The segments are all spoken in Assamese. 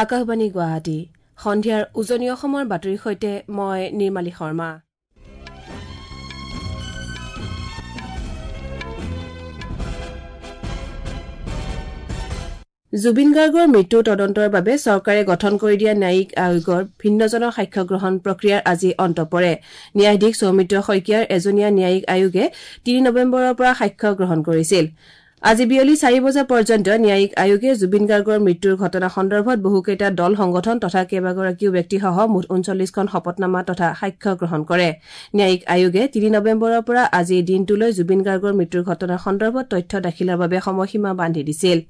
আকাশবাণী গুৱাহাটী সন্ধিয়াৰ উজনি অসমৰ বাতৰিৰ সৈতে মই নিৰ্মালী শৰ্মা। জুবিন গাৰ্গৰ মৃত্যুৰ তদন্তৰ বাবে চৰকাৰে গঠন কৰি দিয়া ন্যায়িক আয়োগৰ ভিন্নজনৰ সাক্ষ্য গ্ৰহণ প্ৰক্ৰিয়াৰ আজি অন্ত পৰে। ন্যায়াধীশ সৌমিত্ৰ শইকীয়াৰ এজনীয়া ন্যায়িক আয়োগে 3 নৱেম্বৰৰ পৰা সাক্ষ্য গ্ৰহণ কৰিছিল। আজি বিয়লি 4 বজা পৰ্যন্ত ন্যায়িক আয়োগে জুবিন গাৰ্গৰ মৃত্যুৰ ঘটনা সন্দৰ্ভত বহুকেইটা দল সংগঠন তথা কেইবাগৰাকীও ব্যক্তিসহ মুঠ 39খন শপতনামা তথা সাক্ষ্য গ্ৰহণ কৰে। ন্যায়িক আয়োগে 3 নৱেম্বৰৰ পৰা আজি দিনটোলৈ জুবিন গাৰ্গৰ মৃত্যুৰ ঘটনাৰ সন্দৰ্ভত তথ্য দাখিলৰ বাবে সময়সীমা বান্ধি দিছিল।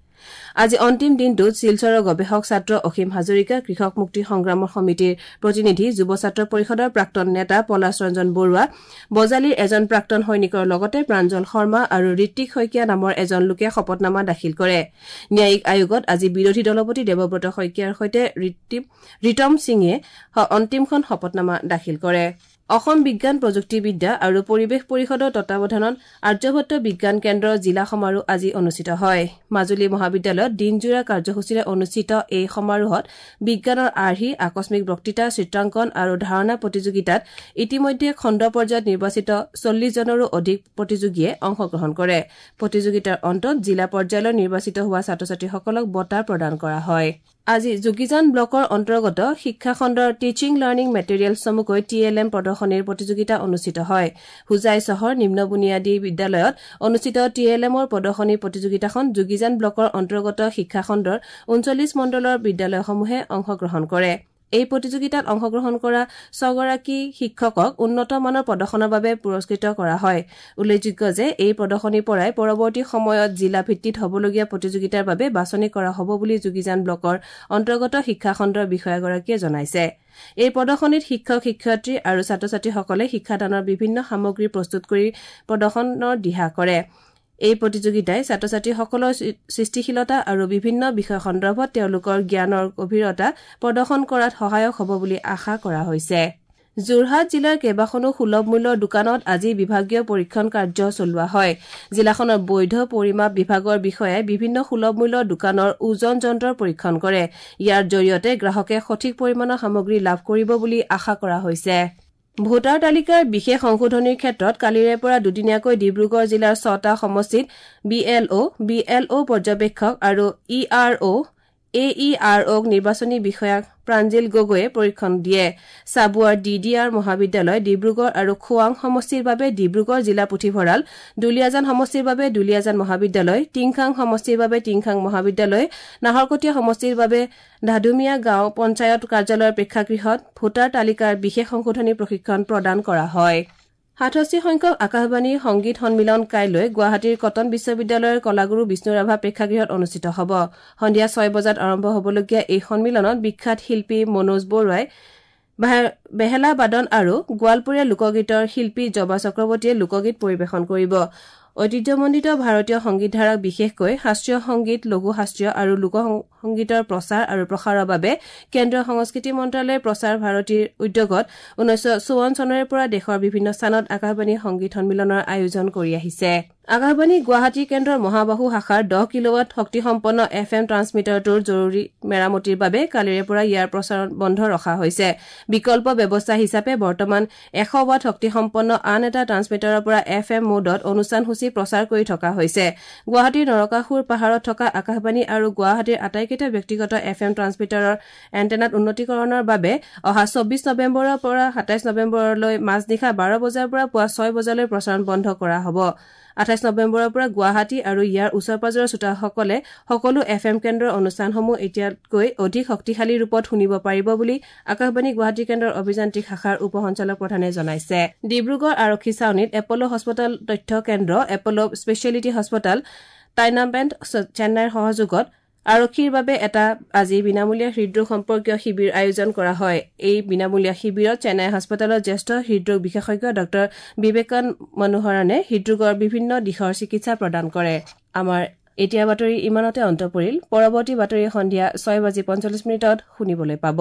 আজি অন্তিম দিনটোত শিলচৰৰ গৱেষক ছাত্ৰ অসীম হাজৰিকা, কৃষক মুক্তি সংগ্ৰাম সমিতিৰ প্ৰতিনিধি, যুৱ ছাত্ৰ পৰিষদৰ প্ৰাক্তন নেতা পলাশ ৰঞ্জন বৰুৱা, বজালীৰ এজন প্ৰাক্তন সৈনিকৰ লগতে প্ৰাঞ্জল শৰ্মা আৰু ঋত্বিক শইকীয়া নামৰ এজন লোকে শপতনামা দাখিল কৰে। ন্যায়িক আয়োগত আজি বিৰোধী দলপতি দেৱব্ৰত শইকীয়াৰ সৈতে ৰিতম সিঙে অন্তিমখন শপতনামা দাখিল কৰে। অসম বিজ্ঞান প্ৰযুক্তিবিদ্যা আৰু পৰিৱেশ পৰিষদৰ তত্বাৱধানত আৰ্যভট্ট বিজ্ঞান কেন্দ্ৰৰ জিলা সমাৰোহ আজি অনুষ্ঠিত হয়। মাজুলী মহাবিদ্যালয়ত দিনজোৰা কাৰ্যসূচীৰে অনুষ্ঠিত এই সমাৰোহত বিজ্ঞানৰ আৰ্হি, আকস্মিক বক্তৃতা, চিত্ৰাংকন আৰু ধাৰণা প্ৰতিযোগিতাত ইতিমধ্যে খণ্ড পৰ্যায়ত নিৰ্বাচিত 40 জনৰো অধিক প্ৰতিযোগীয়ে অংশগ্ৰহণ কৰে। প্ৰতিযোগিতাৰ অন্তত জিলা পৰ্যায়লৈ নিৰ্বাচিত হোৱা ছাত্ৰ ছাত্ৰীসকলক বঁটা প্ৰদান কৰা হয়। আজি যোগীজান ব্লকৰ অন্তৰ্গত শিক্ষাখণ্ডৰ টিচিং লাৰ্ণিং মেটেৰিয়েল চমুকৈ টি এল এম প্ৰদৰ্শনীৰ প্ৰতিযোগিতা অনুষ্ঠিত হয়। হোজাই চহৰ নিম্ন বুনিয়াদী বিদ্যালয়ত অনুষ্ঠিত টি এল এমৰ প্ৰদৰ্শনী প্ৰতিযোগিতাখন যোগীজান ব্লকৰ অন্তৰ্গত শিক্ষাখণ্ডৰ 39 মণ্ডলৰ বিদ্যালয়সমূহে অংশগ্ৰহণ কৰে। এই প্ৰতিযোগিতাত অংশগ্ৰহণ কৰা 6গৰাকী শিক্ষকক উন্নত মানৰ প্ৰদৰ্শনৰ বাবে পুৰস্কৃত কৰা হয়। উল্লেখযোগ্য যে এই প্ৰদৰ্শনীৰ পৰাই পৰৱৰ্তী সময়ত জিলা ভিত্তিত হ'বলগীয়া প্ৰতিযোগিতাৰ বাবে বাছনি কৰা হ'ব বুলি যোগীজান ব্লকৰ অন্তৰ্গত শিক্ষাখণ্ডৰ বিষয়াগৰাকীয়ে জনাইছে। এই প্ৰদৰ্শনীত শিক্ষক, শিক্ষয়িত্ৰী আৰু ছাত্ৰ ছাত্ৰীসকলে শিক্ষাদানৰ বিভিন্ন সামগ্ৰী প্ৰস্তুত কৰি প্ৰদৰ্শনৰ দিহা কৰে। এই প্ৰতিযোগিতাই ছাত্ৰ ছাত্ৰীসকলৰ সৃষ্টিশীলতা আৰু বিভিন্ন বিষয় সন্দৰ্ভত তেওঁলোকৰ জ্ঞানৰ গভীৰতা প্ৰদৰ্শন কৰাত সহায়ক হ'ব বুলি আশা কৰা হৈছে। যোৰহাট জিলাৰ কেইবাখনো সুলভ মূল্যৰ দোকানত আজি বিভাগীয় পৰীক্ষণ কাৰ্য চলোৱা হয়। জিলাখনৰ বৈধ পৰিমাপ বিভাগৰ বিষয়াই বিভিন্ন সুলভ মূল্যৰ দোকানৰ ওজন যন্ত্ৰৰ পৰীক্ষণ কৰে। ইয়াৰ জৰিয়তে গ্ৰাহকে সঠিক পৰিমাণৰ সামগ্ৰী লাভ কৰিব বুলি আশা কৰা হৈছে। ভোটাৰ তালিকাৰ বিশেষ সংশোধনীৰ ক্ষেত্ৰত কালিৰে পৰা দুদিনীয়াকৈ ডিব্ৰুগড় জিলাৰ 6টা সমষ্টিত B L O, B L O পৰ্যবেক্ষক আৰু ই আৰ অ', এ ই আৰ অ'ক নিৰ্বাচনী বিষয়া প্ৰাঞ্জিল গগৈয়ে পৰীক্ষণ দিয়ে। চাবুৱাৰ ডি ডি আৰ মহাবিদ্যালয়, ডিব্ৰুগড় আৰু খোৱাং সমষ্টিৰ বাবে ডিব্ৰুগড় জিলা পুথিভঁৰাল, দুলীয়াজান সমষ্টিৰ বাবে দুলীয়াজান মহাবিদ্যালয়, টিংখাং সমষ্টিৰ বাবে টিংখাং মহাবিদ্যালয়, নাহৰকটীয়া সমষ্টিৰ বাবে ধাদুমীয়া গাঁও পঞ্চায়ত কাৰ্যালয়ৰ প্ৰেক্ষাগৃহত ভোটাৰ তালিকাৰ বিশেষ সংশোধনী প্ৰশিক্ষণ প্ৰদান কৰা হয়। 67 সংখ্যক আকাশবাণী সংগীত সন্মিলন কাইলৈ গুৱাহাটীৰ কটন বিশ্ববিদ্যালয়ৰ কলাগুৰু বিষ্ণু ৰাভা প্ৰেক্ষাগৃহত অনুষ্ঠিত হ'ব। সন্ধিয়া 6 বজাত আৰম্ভ হ'বলগীয়া এই সন্মিলনত বিখ্যাত শিল্পী মনোজ বৰুৱাই বেহেলা বাদন আৰু গোৱালপৰীয়া লোকগীতৰ শিল্পী জবা চক্ৰৱৰ্তীয়ে লোকগীত পৰিৱেশন কৰিব। ঐতিহ্যমণ্ডিত ভাৰতীয় সংগীতধাৰাক বিশেষকৈ শাস্ত্ৰীয় সংগীত, লঘু শাস্ত্ৰীয় আৰু লোক সংগীতৰ প্ৰচাৰ আৰু প্ৰসাৰৰ বাবে কেন্দ্ৰীয় সংস্কৃতি মন্ত্ৰালয়ে প্ৰচাৰ ভাৰতীৰ উদ্যোগত 1954 চনৰে পৰা দেশৰ বিভিন্ন স্থানত আকাশবাণী সংগীত সন্মিলনৰ আয়োজন কৰি আহিছে। আকাশবাণী গুৱাহাটী কেন্দ্ৰৰ মহাবাহু শাখাৰ 10 কিলোৱাট শক্তিসম্পন্ন এফ এম ট্ৰান্সমিটাৰটোৰ জৰুৰী মেৰামতিৰ বাবে কালিৰে পৰা ইয়াৰ প্ৰচাৰণ বন্ধ ৰখা হৈছে। বিকল্প ব্যৱস্থা হিচাপে বৰ্তমান 100 ৱাট শক্তিসম্পন্ন আন এটা ট্ৰান্সমিটাৰৰ পৰা এফ এম মোডত অনুষ্ঠানসূচী প্ৰচাৰ কৰি থকা হৈছে। গুৱাহাটীৰ নৰকাসুৰ পাহাৰত থকা আকাশবাণী আৰু গুৱাহাটীৰ আটাইকেইটা ব্যক্তিগত এফ এম ট্ৰান্সমিটাৰৰ এণ্টেনাত উন্নতিকৰণৰ বাবে অহা 24 নৱেম্বৰৰ পৰা 27 নৱেম্বৰলৈ মাজনিশা 12 বজাৰ পৰা পুৱা 6 বজালৈ প্ৰচাৰণ বন্ধ কৰা হ'ব। 28 নৱেম্বৰৰ পৰা গুৱাহাটী আৰু ইয়াৰ ওচৰ পাজৰৰ শ্ৰোতাসকলে সকলো এফ এম কেন্দ্ৰৰ অনুষ্ঠানসমূহ এতিয়াতকৈ অধিক শক্তিশালী ৰূপত শুনিব পাৰিব বুলি আকাশবাণী গুৱাহাটী কেন্দ্ৰৰ অভিযান্ত্ৰিক শাখাৰ উপ সঞ্চালক প্ৰধানে জনাইছে। ডিব্ৰুগড় আৰক্ষী ছাউনীত এপল' হাস্পতাল তথ্য কেন্দ্ৰ, এপল' স্পেচিয়েলিটি হাস্পতাল, টাইনাবেণ্ড চেন্নাইৰ সহযোগত আৰক্ষীৰ বাবে এটা আজি বিনামূলীয়া হৃদৰোগ সম্পৰ্কীয় শিবিৰ আয়োজন কৰা হয়। এই বিনামূলীয়া শিবিৰত চেন্নাই হাস্পতালৰ জ্যেষ্ঠ হৃদৰোগ বিশেষজ্ঞ ডাঃ বিবেকান মনোহৰণে হৃদৰোগৰ বিভিন্ন দিশৰ চিকিৎসা প্ৰদান কৰে। আমাৰ এতিয়া বাতৰি ইমানতে অন্ত পৰিল। পৰৱৰ্তী বাতৰি সন্ধিয়া 6:45 শুনিবলৈ পাব।